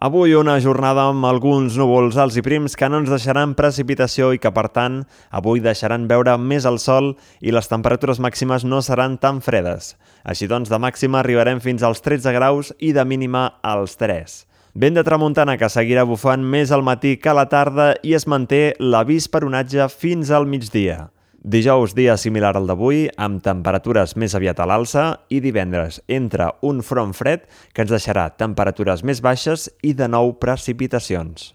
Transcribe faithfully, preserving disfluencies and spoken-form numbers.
Avui una jornada amb alguns núvols alts i prims que no ens deixaran precipitació i que, per tant, avui deixaran veure més el sol i les temperatures màximes no seran tan fredes. Així doncs, de màxima arribarem fins als tretze graus i de mínima als tres. Vent de tramuntana que seguirà bufant més al matí que a la tarda i es manté l'avís per onatge fins al migdia. Dijous, dia similar al d'avui, amb temperatures més aviat a l'alça, i divendres entra un front fred que ens deixarà temperatures més baixes i de nou precipitacions.